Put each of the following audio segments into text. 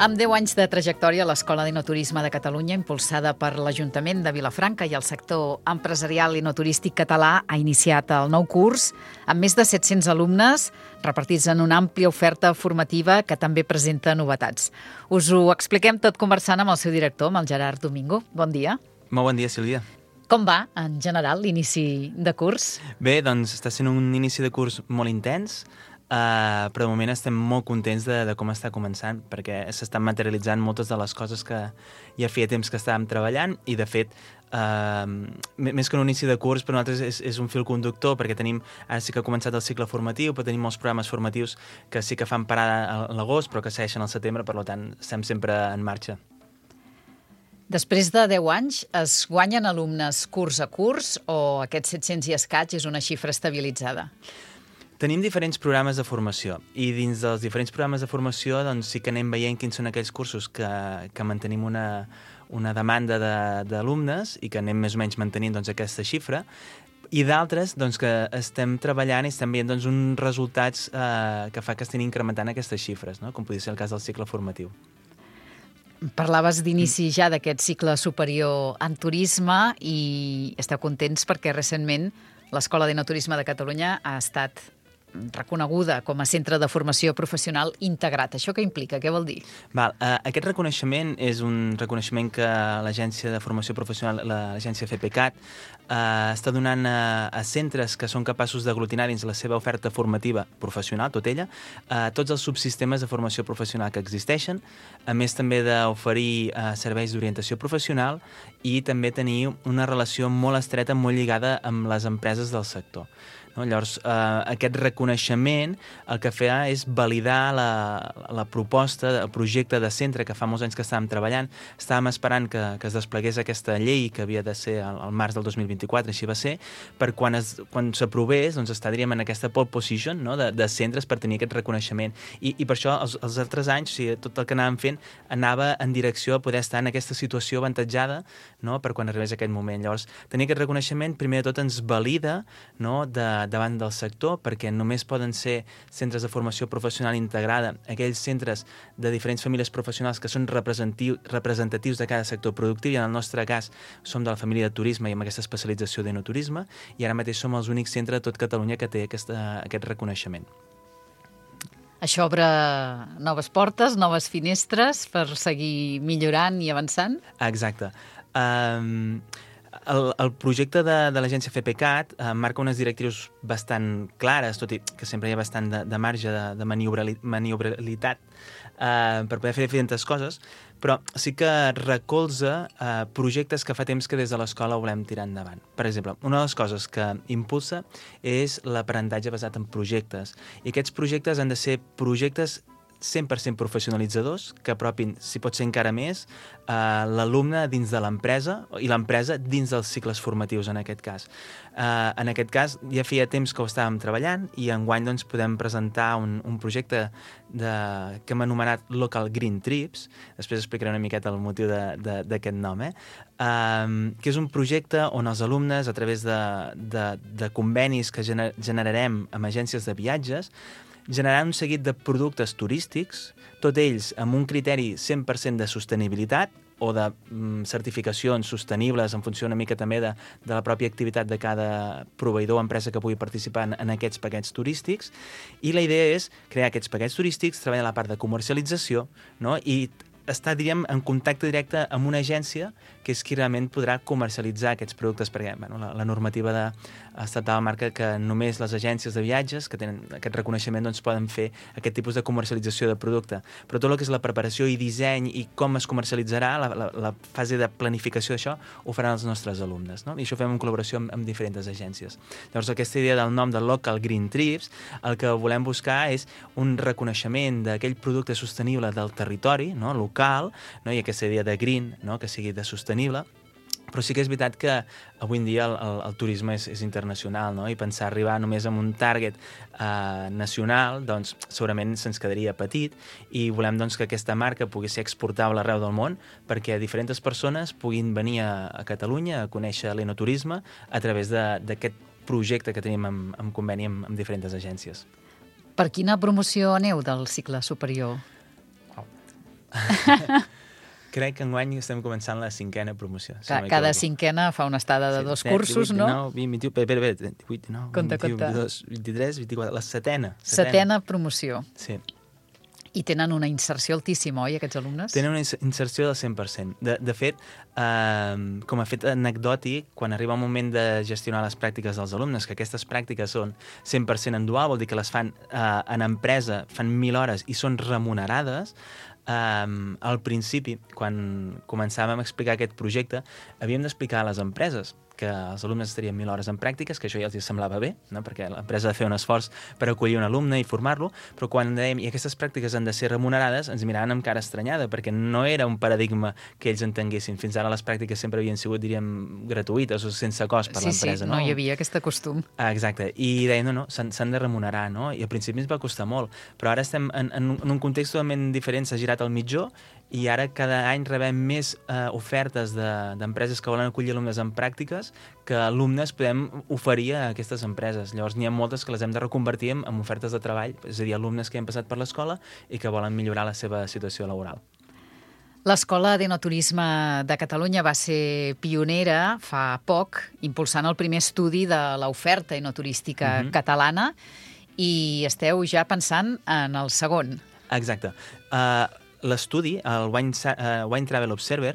Amb 10 anys de trajectòria, l'Escola d'Enoturisme de Catalunya, impulsada per l'Ajuntament de Vilafranca i el sector empresarial enoturístic català, ha iniciat el nou curs amb més de 700 alumnes repartits en una àmplia oferta formativa que també presenta novetats. Us ho expliquem tot conversant amb el seu director, amb el Gerard Domingo. Bon dia. Molt bon dia, Sílvia. Com va, en general, l'inici de curs? Bé, doncs està sent un inici de curs molt intens, però de moment estem molt contents de com està començant, perquè s'estan materialitzant moltes de les coses que ja feia temps que estàvem treballant i, de fet, més que un inici de curs, per nosaltres és un fil conductor, perquè ara sí que ha començat el cicle formatiu, però tenim molts programes formatius que sí que fan parada a l'agost, però que segueixen al setembre, per tant, estem sempre en marxa. Després de 10 anys, es guanyen alumnes curs a curs o aquests 700 i escaig és una xifra estabilitzada? Tenim diferents programes de formació i dins dels diferents programes de formació doncs, sí que anem veient quins són aquells cursos que mantenim una demanda d'alumnes i que anem més o menys mantenint doncs, aquesta xifra, i d'altres doncs, que estem treballant i estem veient doncs, uns resultats que fa que estem incrementant aquestes xifres, no? Com podria ser el cas del cicle formatiu. Parlaves d'inici ja d'aquest cicle superior en turisme i esteu contents perquè recentment l'Escola d'Enoturisme de Catalunya ha estat reconeguda com a centre de formació professional integrat. Això què implica? Què vol dir? Aquest reconeixement és un reconeixement que l'Agència de Formació Professional, l'Agència FPCAT, està donant a centres que són capaços d'aglutinar dins la seva oferta formativa professional, tot ella, tots els subsistemes de formació professional que existeixen, a més també d'oferir serveis d'orientació professional i també tenir una relació molt estreta, molt lligada amb les empreses del sector. No? Llavors, aquest reconeixement el que fa és validar la proposta, el projecte de centre que fa molts anys que estàvem treballant. Estàvem esperant que es desplegués aquesta llei que havia de ser al març del 2024, així va ser, per quan s'aprovés doncs estaríem en aquesta pole position, no? de centres per tenir aquest reconeixement. I per això els altres anys, o sigui, tot el que anàvem fent anava en direcció a poder estar en aquesta situació avantatjada, no? Per quan arribés aquest moment. Llavors, tenir aquest reconeixement primer de tot ens valida, no? Davant del sector, perquè només poden ser centres de formació professional integrada, aquells centres de diferents famílies professionals que són representatius de cada sector productiu, i en el nostre cas som de la família de turisme i amb aquesta especialització d'enoturisme, i ara mateix som els únics centres de tot Catalunya que té aquest reconeixement. Això obre noves portes, noves finestres per seguir millorant i avançant? Exacte. El projecte de l'agència FPCAT marca unes directrius bastant clares, tot i que sempre hi ha bastant de marge de maniobralitat per poder fer diferents coses, però sí que recolza projectes que fa temps que des de l'escola volem tirar endavant. Per exemple, una de les coses que impulsa és l'aprenentatge basat en projectes, i aquests projectes han de ser projectes 100% professionalitzadors, que apropin, si pot ser encara més, l'alumne dins de l'empresa i l'empresa dins dels cicles formatius, en aquest cas. En aquest cas, ja feia temps que ho estàvem treballant i enguany doncs, podem presentar un projecte que hem anomenat Local Green Trips, després explicaré una miqueta el motiu d'aquest nom, que és un projecte on els alumnes, a través de convenis que generarem amb agències de viatges, generaran un seguit de productes turístics, tots ells amb un criteri 100% de sostenibilitat o de certificacions sostenibles en funció una mica també de la pròpia activitat de cada proveïdor o empresa que pugui participar en aquests paquets turístics. I la idea és crear aquests paquets turístics, treballar la part de comercialització, no? I estar, diríem, en contacte directe amb una agència que és qui realment podrà comercialitzar aquests productes, perquè la normativa estatal marca que només les agències de viatges que tenen aquest reconeixement doncs, poden fer aquest tipus de comercialització de producte. Però tot el que és la preparació i disseny i com es comercialitzarà, la fase de planificació d'això, ho faran els nostres alumnes, no? I això ho fem en col·laboració amb diferents agències. Llavors, aquesta idea del nom de Local Green Trips, el que volem buscar és un reconeixement d'aquell producte sostenible del territori, no? Local, no? I aquesta idea de green, no? Que sigui de sostenible. Però sí que és veritat que avui en dia el turisme és internacional, no? I pensar arribar només amb un target nacional, doncs segurament se'ns quedaria petit, i volem doncs, que aquesta marca pugui ser exportable arreu del món perquè diferents persones puguin venir a Catalunya a conèixer l'enoturisme a través d'aquest projecte que tenim en conveni amb diferents agències. Per quina promoció aneu del cicle superior? Crec que enguany estem començant la 5a promoció. Cada 5a fa una estada de 2 cursos, 18, no? 19, 20, 18, 19, Compte, 21, compte. 22, 23, 24, la 7a. 7a promoció. Sí. I tenen una inserció altíssima, oi, aquests alumnes? Tenen una inserció del 100%. De fet, com a fet anecdòtic, quan arriba el moment de gestionar les pràctiques dels alumnes, que aquestes pràctiques són 100% en dual, vol dir que les fan en empresa, fan 1.000 hores i són remunerades, al principi, quan començàvem a explicar aquest projecte, havíem d'explicar a les empreses que els alumnes estarien 1.000 hores en pràctiques, que això ja els semblava bé, no? Perquè l'empresa ha de fer un esforç per acollir un alumne i formar-lo, però quan dèiem i aquestes pràctiques han de ser remunerades, ens miraven amb cara estranyada, perquè no era un paradigma que ells entenguessin. Fins ara les pràctiques sempre havien sigut, diríem, gratuïtes o sense cost per l'empresa. Sí, no hi havia aquest costum. Exacte, i deien, no, s'han de remunerar, no? I al principi ens va costar molt, però ara estem en un context totalment diferent, s'ha girat al mitjó, i ara cada any rebem més ofertes d'empreses que volen acollir alumnes en pràctiques que alumnes podem oferir a aquestes empreses. Llavors n'hi ha moltes que les hem de reconvertir en ofertes de treball, és a dir, alumnes que han passat per l'escola i que volen millorar la seva situació laboral. L'Escola d'Enoturisme de Catalunya va ser pionera fa poc, impulsant el primer estudi de l'oferta enoturística catalana, i esteu ja pensant en el segon. Exacte. L'estudi, el Wine Travel Observer,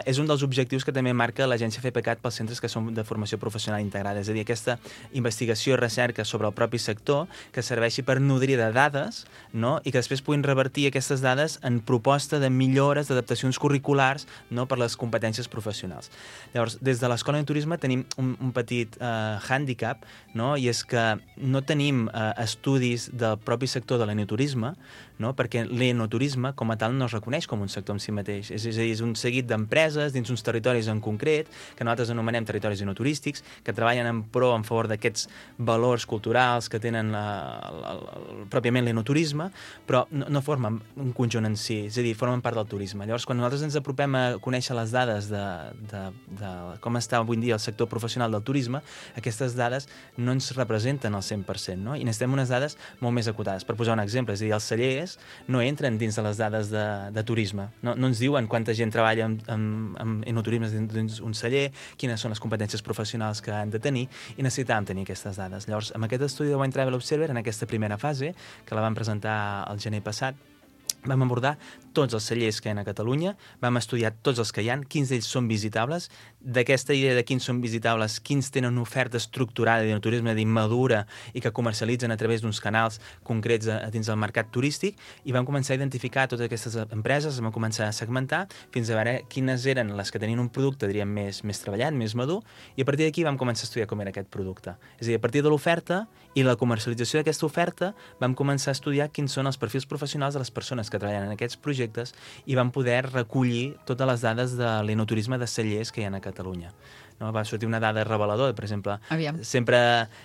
és un dels objectius que també marca l'agència FEPECAT pels centres que són de formació professional integrada. És a dir, aquesta investigació i recerca sobre el propi sector que serveixi per nodrir de dades, no? I que després puguin revertir aquestes dades en proposta de millores, d'adaptacions curriculars, no? Per les competències professionals. Llavors, des de l'Escola de Turisme tenim un petit hàndicap, no? I és que no tenim estudis del propi sector de l'enoturisme, no? Perquè l'enoturisme com a tal no es reconeix com un sector en si mateix. És a dir, és un seguit d'empreses dins uns territoris en concret, que nosaltres anomenem territoris enoturístics, que treballen en favor d'aquests valors culturals que tenen pròpiament l'enoturisme, però no formen un conjunt en si, és a dir, formen part del turisme. Llavors, quan nosaltres ens apropem a conèixer les dades de com està avui en dia el sector professional del turisme, aquestes dades no ens representen al 100%, no? I necessitem unes dades molt més acotades. Per posar un exemple, és a dir, els cellers no entren dins de les dades de turisme. No ens diuen quanta gent treballa en enoturisme dins un celler, quines són les competències professionals que han de tenir, i necessitàvem tenir aquestes dades. Llavors, amb aquest estudi de Wine Travel Observer, en aquesta primera fase, que la vam presentar el gener passat, vam abordar tots els cellers que hi ha a Catalunya, vam estudiar tots els que hi ha, quins d'ells són visitables, d'aquesta idea de quins són visitables, quins tenen una oferta estructurada d'enoturisme, madura, i que comercialitzen a través d'uns canals concrets dins del mercat turístic, i vam començar a identificar totes aquestes empreses, vam començar a segmentar fins a veure quines eren les que tenien un producte, diríem, més treballat, més madur, i a partir d'aquí vam començar a estudiar com era aquest producte. És a dir, a partir de l'oferta i la comercialització d'aquesta oferta, vam començar a estudiar quins són els perfils professionals de les persones que treballen en aquests projectes i van poder recollir totes les dades de l'enoturisme de cellers que hi ha a Catalunya. No? Va sortir una dada reveladora, per exemple, sempre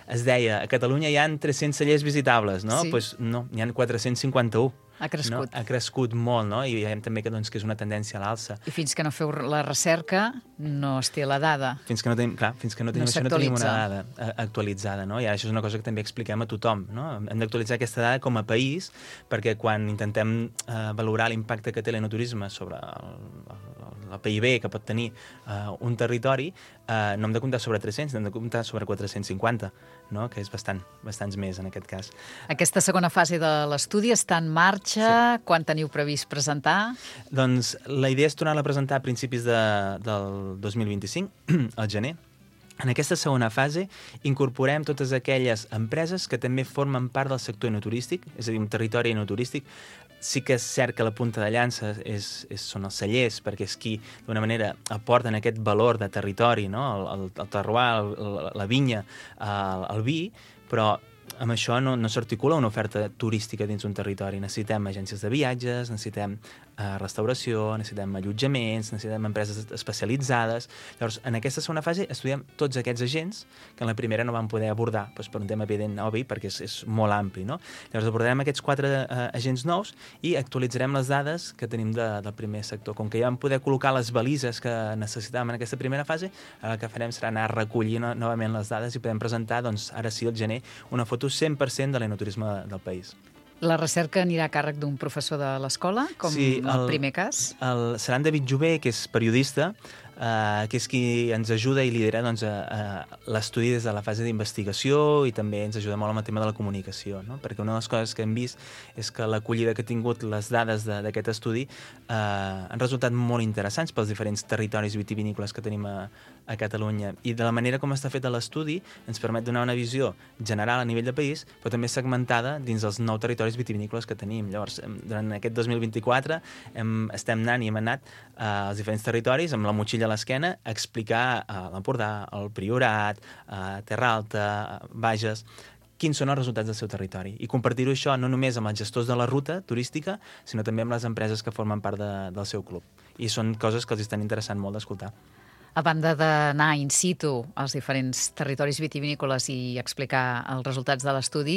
es deia a Catalunya hi ha 300 cellers visitables, no? Sí. Pues no, n'hi ha 451. Ha crescut. No? Ha crescut molt, no? I veiem també que és una tendència a l'alça. I fins que no feu la recerca no es té la dada. Fins que no tenim això, no tenim una dada actualitzada, no? I això és una cosa que també expliquem a tothom, no? Hem d'actualitzar aquesta dada com a país, perquè quan intentem valorar l'impacte que té l'enoturisme sobre el PIB que pot tenir un territori, no hem de comptar sobre 300, hem de comptar sobre 450, no? Que és bastants més en aquest cas. Aquesta segona fase de l'estudi està en marxa. Sí. Quan teniu previst presentar? Doncs la idea és tornar-la a presentar a principis del 2025, al gener. En aquesta segona fase incorporem totes aquelles empreses que també formen part del sector enoturístic, és a dir, un territori enoturístic. Sí que és cert que la punta de llança són els cellers, perquè és qui, d'una manera, aporten aquest valor de territori, no? El terroir, la vinya, el vi, però amb això no s'articula una oferta turística dins un territori. Necessitem agències de viatges, necessitem restauració, necessitem allotjaments, necessitem empreses especialitzades. Llavors, en aquesta segona fase estudiem tots aquests agents que en la primera no vam poder abordar, doncs per un tema evident, obvi, perquè és molt ampli, no? Llavors abordarem aquests 4 agents nous i actualitzarem les dades que tenim del primer sector. Com que ja vam poder col·locar les balises que necessitàvem en aquesta primera fase, el que farem serà anar a recollir novament les dades i podem presentar, doncs, ara sí, al gener, una foto 100% de l'enoturisme del país. La recerca anirà a càrrec d'un professor de l'escola, com Sí, el primer cas? Serà en David Jové, que és periodista, que és qui ens ajuda i lidera doncs, l'estudi des de la fase d'investigació i també ens ajuda molt amb el tema de la comunicació, no? Perquè una de les coses que hem vist és que l'acollida que ha tingut les dades d'aquest estudi han resultat molt interessants pels diferents territoris vitivinícoles que tenim a Catalunya, i de la manera com està fet l'estudi ens permet donar una visió general a nivell de país, però també segmentada dins els 9 territoris vitivinícoles que tenim. Llavors, durant aquest 2024 estem anant i hem anat als diferents territoris amb la motxilla a l'esquena a explicar a l'Empordà, al Priorat, a Terra Alta, a Bages, quins són els resultats del seu territori. I compartir-ho això no només amb els gestors de la ruta turística, sinó també amb les empreses que formen part del seu club. I són coses que els estan interessant molt d'escoltar. A banda d'anar in situ als diferents territoris vitivinícoles i explicar els resultats de l'estudi,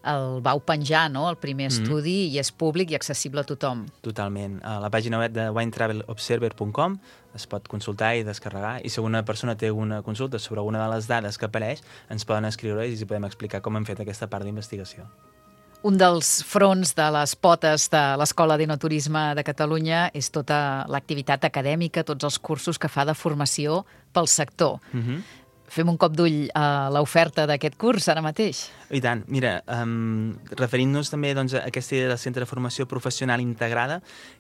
el vau penjar, no?, el primer estudi, i és públic i accessible a tothom. Totalment. A la pàgina web de winetravelobserver.com es pot consultar i descarregar, i si alguna persona té alguna consulta sobre alguna de les dades que apareix, ens poden escriure i els podem explicar com hem fet aquesta part d'investigació. Un dels fronts de les potes de l'Escola d'Enoturisme de Catalunya és tota l'activitat acadèmica, tots els cursos que fa de formació pel sector. Fem un cop d'ull a l'oferta d'aquest curs ara mateix. I tant. Mira, referint-nos també doncs, a aquesta idea del centre de formació professional integrada,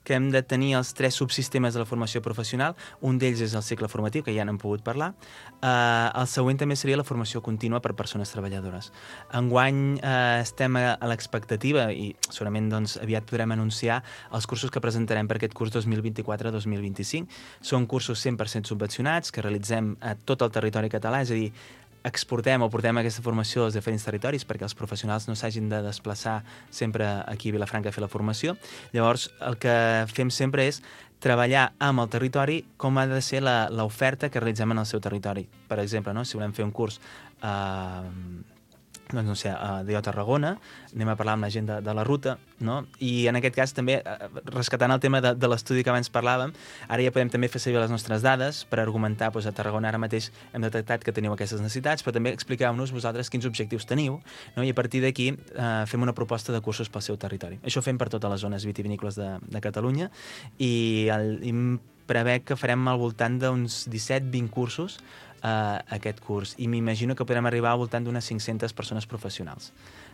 que hem de tenir els 3 subsistemes de la formació professional. Un d'ells és el cicle formatiu, que ja n'hem pogut parlar. El següent també seria la formació contínua per persones treballadores. Enguany estem a l'expectativa, i segurament doncs, aviat podrem anunciar els cursos que presentarem per aquest curs 2024-2025. Són cursos 100% subvencionats que realitzem a tot el territori català, és a dir, exportem o portem aquesta formació als diferents territoris perquè els professionals no s'hagin de desplaçar sempre aquí a Vilafranca a fer la formació. Llavors, el que fem sempre és treballar amb el territori com ha de ser l'oferta que realitzem en el seu territori. Per exemple, no? Si volem fer un curs doncs no sé, a Tarragona, anem a parlar amb la gent de la ruta, no? I en aquest cas també, rescatant el tema de l'estudi que abans parlàvem, ara ja podem també fer servir les nostres dades per argumentar, doncs a Tarragona ara mateix hem detectat que teniu aquestes necessitats, però també expliqueu-nos vosaltres quins objectius teniu, no? I a partir d'aquí fem una proposta de cursos pel seu territori. Això ho fem per totes les zones vitivinícoles de Catalunya, i prevec que farem al voltant d'uns 17-20 cursos aquest curs, i m'imagino que podrem arribar al voltant d'unes 500 persones professionals.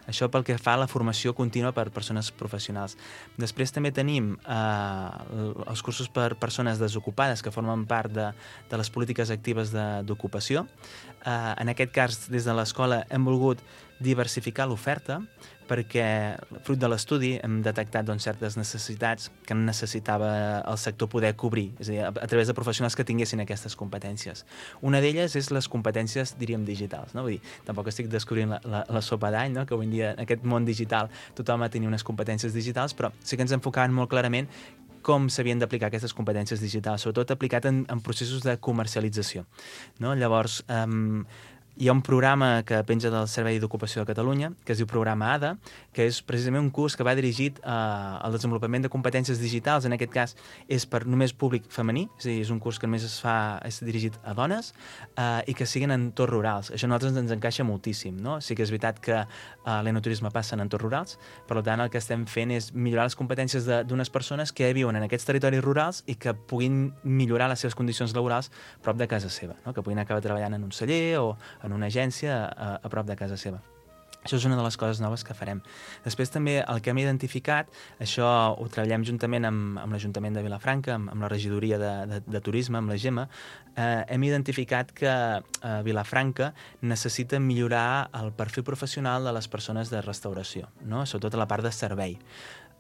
Això pel que fa a la formació contínua per persones professionals. Després també tenim els cursos per persones desocupades que formen part de les polítiques actives d'ocupació. En aquest cas, des de l'escola hem volgut diversificar l'oferta perquè, fruit de l'estudi, hem detectat doncs, certes necessitats que necessitava el sector poder cobrir, és a dir, a través de professionals que tinguessin aquestes competències. Una d'elles és les competències, diríem, digitals, no? Vull dir, tampoc estic descobrint la sopa d'any, no? Que avui en dia en aquest món digital tothom ha de tenir unes competències digitals, però sí que ens enfocaven molt clarament com s'havien d'aplicar aquestes competències digitals, sobretot aplicat en processos de comercialització, no? Llavors, hi ha un programa que penja del Servei d'Ocupació de Catalunya, que es diu Programa ADA, que és precisament un curs que va dirigit al desenvolupament de competències digitals. En aquest cas és per només públic femení, és a dir, és un curs que només és dirigit a dones i que siguin en entorns rurals. Això a nosaltres ens encaixa moltíssim, no? Sí que és veritat que l'enoturisme passa en entorns rurals, per tant el que estem fent és millorar les competències d'unes persones que viuen en aquests territoris rurals i que puguin millorar les seves condicions laborals prop de casa seva, no? Que puguin acabar treballant en un celler o en una agència a prop de casa seva. Això és una de les coses noves que farem. Després també el que hem identificat, això ho treballem juntament amb l'Ajuntament de Vilafranca, amb la regidoria de turisme, amb la Gemma, hem identificat que Vilafranca necessita millorar el perfil professional de les persones de restauració, no? Sobretot a la part de servei.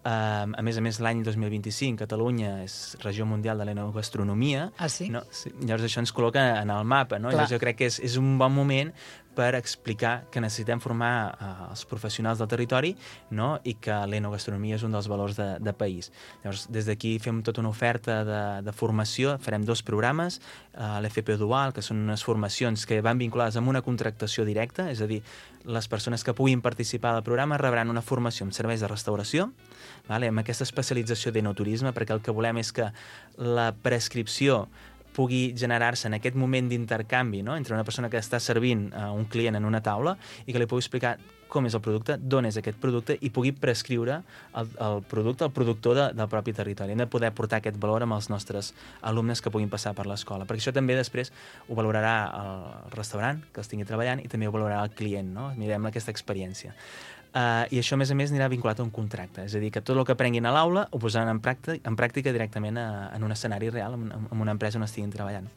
A més, l'any 2025 Catalunya és regió mundial de l'enogastronomia. Ah, sí? No? Sí. Llavors això ens col·loca en el mapa, no? Llavors jo crec que és un bon moment per explicar que necessitem formar els professionals del territori, no? I que l'enogastronomia és un dels valors de país. Llavors, des d'aquí fem tota una oferta de formació, farem 2 programes, l'FP Dual, que són unes formacions que van vinculades amb una contractació directa, és a dir, les persones que puguin participar del programa rebran una formació en serveis de restauració, amb aquesta especialització d'enoturisme, perquè el que volem és que la prescripció pugui generar-se en aquest moment d'intercanvi, no? Entre una persona que està servint a un client en una taula i que li pugui explicar com és el producte, d'on és aquest producte i pugui prescriure el producte, el productor del propi territori. Hem de poder portar aquest valor amb els nostres alumnes que puguin passar per l'escola, perquè això també després ho valorarà el restaurant que els tingui treballant i també ho valorarà el client, no? Mirem aquesta experiència. I això, a més anirà vinculat a un contracte. És a dir, que tot el que aprenguin a l'aula ho posaran en pràctica directament en un escenari real, en una empresa on estiguin treballant.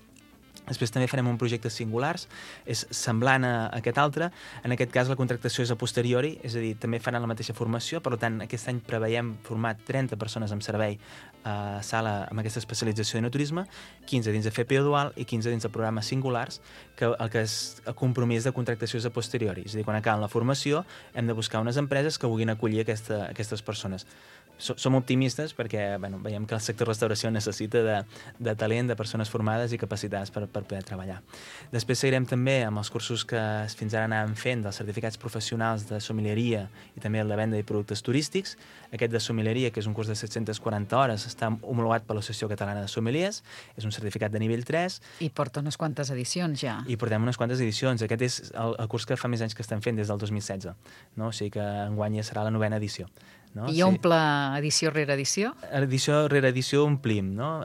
Després també farem un projecte singulars, és semblant a aquest altre. En aquest cas la contractació és a posteriori, és a dir, també faran la mateixa formació, per tant aquest any preveiem formar 30 persones amb servei a sala amb aquesta especialització de turisme, 15 dins de FPO dual i 15 dins de programes singulars, que el que és el compromís de contractació és a posteriori. És a dir, quan acaben la formació hem de buscar unes empreses que vulguin acollir aquestes persones. Som optimistes perquè veiem que el sector restauració necessita de talent, de persones formades i capacitades per poder treballar. Després seguirem també amb els cursos que fins ara anàvem fent dels certificats professionals de sommelieria i també el de venda de productes turístics. Aquest de sommelieria, que és un curs de 740 hores, està homologat per l'Associació Catalana de Sommeliers, és un certificat de nivell 3. I porta unes quantes edicions ja. I portem unes quantes edicions. Aquest és el curs que fa més anys que estem fent, des del 2016. No? O sigui que enguany ja serà la 9ª edició. No? I omple edició rere edició? Edició rere edició omplim, no?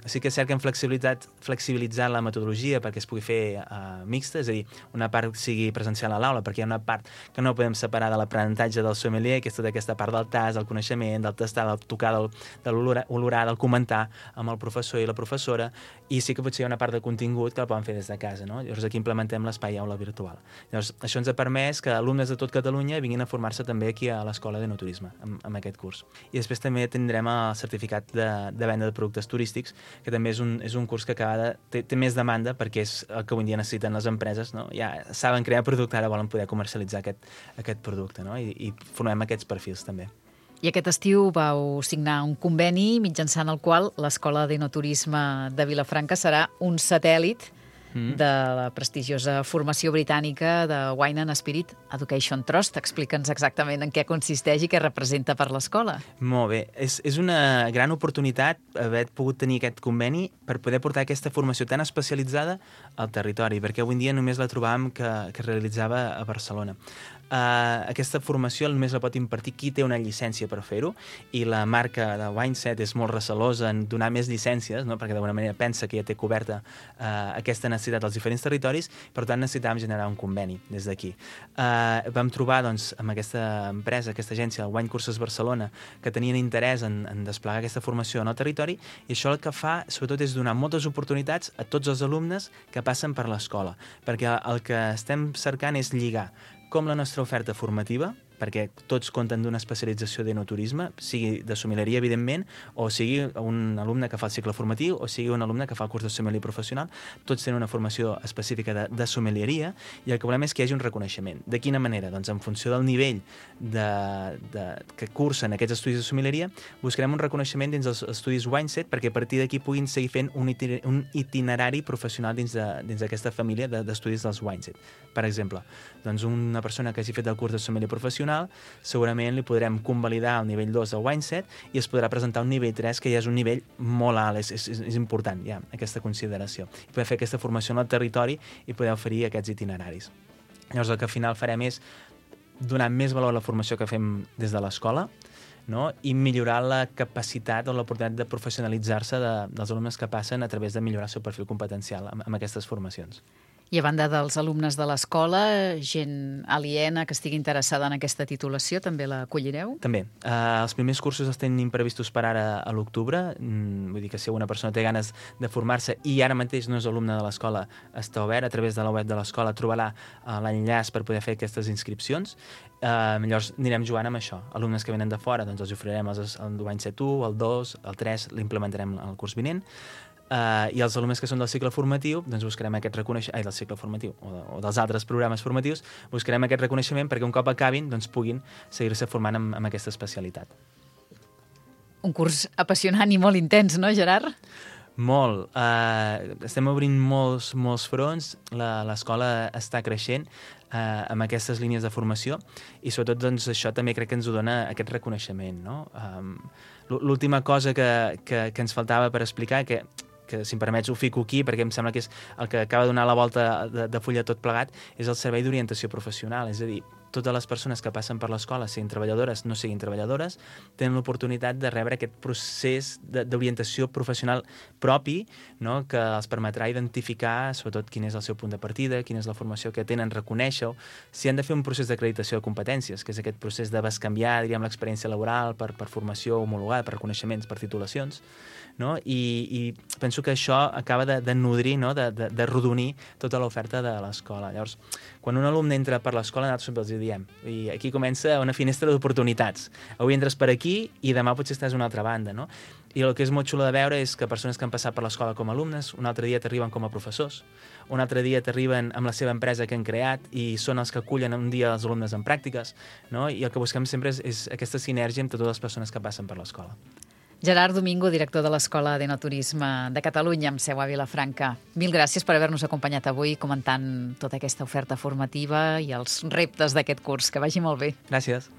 Sí que és cert que hem flexibilitzat la metodologia perquè es pugui fer mixta, és a dir, una part sigui presencial a l'aula, perquè hi ha una part que no podem separar de l'aprenentatge del sommelier, que és tota aquesta part del tast, del coneixement, del tastar, del tocar, de l'olorar, del comentar amb el professor i la professora, i sí que potser hi ha una part de contingut que la poden fer des de casa, no? Llavors aquí implementem l'espai aula virtual. Llavors això ens ha permès que alumnes de tot Catalunya vinguin a formar-se també aquí a l'Escola d'Enoturisme amb aquest curs. I després també tindrem el certificat de venda de productes turístics, que també és un curs que té més demanda perquè és el que avui dia necessiten les empreses, no? Ja saben crear producte, ara volen poder comercialitzar aquest producte, no? I formem aquests perfils també. I aquest estiu vau signar un conveni mitjançant el qual l'Escola d'Enoturisme de Vilafranca serà un satèl·lit de la prestigiosa formació britànica de Wine and Spirit Education Trust. Explica'ns exactament en què consisteix i què representa per l'escola. Molt bé. És una gran oportunitat haver pogut tenir aquest conveni per poder portar aquesta formació tan especialitzada al territori, perquè avui en dia només la trobàvem que es realitzava a Barcelona. Aquesta formació només la pot impartir qui té una llicència per fer-ho, i la marca de Wineset és molt recelosa en donar més llicències, no? Perquè d'alguna manera pensa que ja té coberta aquesta necessitat als diferents territoris, per tant necessitàvem generar un conveni des d'aquí. Vam trobar doncs, amb aquesta empresa, aquesta agència, el Wine Curses Barcelona, que tenien interès en desplegar aquesta formació en el territori, i això el que fa sobretot és donar moltes oportunitats a tots els alumnes que passen per l'escola, perquè el que estem cercant és lligar com la nostra oferta formativa, perquè tots compten d'una especialització d'enoturisme, sigui de sommelieria, evidentment, o sigui un alumne que fa el cicle formatiu, o sigui un alumne que fa el curs de sommelier professional. Tots tenen una formació específica de sommelieria, i el que volem és que hi hagi un reconeixement. De quina manera? Doncs en funció del nivell que cursen aquests estudis de sommelieria, buscarem un reconeixement dins dels estudis Wineset, perquè a partir d'aquí puguin seguir fent un itinerari professional dins d'aquesta família d'estudis dels Wineset. Per exemple, doncs una persona que hagi fet el curs de sommelier professional, segurament li podrem convalidar el nivell 2 del Wineset i es podrà presentar un nivell 3, que ja és un nivell molt alt, és important ja aquesta consideració. I poder fer aquesta formació en el territori i poder oferir aquests itineraris. Llavors el que al final farem és donar més valor a la formació que fem des de l'escola, no? I millorar la capacitat o l'oportunitat de professionalitzar-se dels alumnes que passen a través de millorar el seu perfil competencial amb aquestes formacions. I a banda dels alumnes de l'escola, gent aliena que estigui interessada en aquesta titulació, també l'acollireu? També. Els primers cursos els tenim previstos per ara a l'octubre. Vull dir que si alguna persona té ganes de formar-se i ara mateix no és alumne de l'escola, està obert. A través de la web de l'escola trobarà l'enllaç per poder fer aquestes inscripcions. Llavors anirem jugant amb això. Alumnes que venen de fora, doncs els oferirem el Wineset 1, el 2, el 3, l'implementarem el curs vinent. I els alumnes que són del cicle formatiu, doncs buscarem aquest reconeixement, del cicle formatiu o dels altres programes formatius, buscarem aquest reconeixement perquè un cop acabin doncs puguin seguir-se formant amb aquesta especialitat. Un curs apassionant i molt intens, no, Gerard? Molt. Estem obrint molts fronts, l'escola està creixent amb aquestes línies de formació i sobretot doncs, això també crec que ens ho dona aquest reconeixement, no? L'última cosa que ens faltava per explicar, que si em permets ho fico aquí perquè em sembla que és el que acaba de donar la volta de fulla tot plegat, és el servei d'orientació professional. És a dir, totes les persones que passen per l'escola, siguin treballadores, no siguin treballadores, tenen l'oportunitat de rebre aquest procés d'orientació professional propi, no? Que els permetrà identificar, sobretot, quin és el seu punt de partida, quina és la formació que tenen, reconèixer-ho, si han de fer un procés d'acreditació de competències, que és aquest procés de bescanviar, diríem, l'experiència laboral per formació homologada, per reconeixements, per titulacions, no? I penso que això acaba de nodrir, no? de rodonir tota l'oferta de l'escola. Llavors, quan un alumne entra per l'escola, nosaltres sempre els diem, i aquí comença una finestra d'oportunitats. Avui entres per aquí i demà potser estàs a una altra banda, no? I el que és molt xulo de veure és que persones que han passat per l'escola com a alumnes, un altre dia t'arriben com a professors, un altre dia t'arriben amb la seva empresa que han creat i són els que acullen un dia els alumnes en pràctiques, no? I el que busquem sempre és aquesta sinergia entre totes les persones que passen per l'escola. Gerard Domingo, director de l'Escola d'Enoturisme de Catalunya, amb seu a Vilafranca. Mil gràcies per haver-nos acompanyat avui comentant tota aquesta oferta formativa i els reptes d'aquest curs. Que vagi molt bé. Gràcies.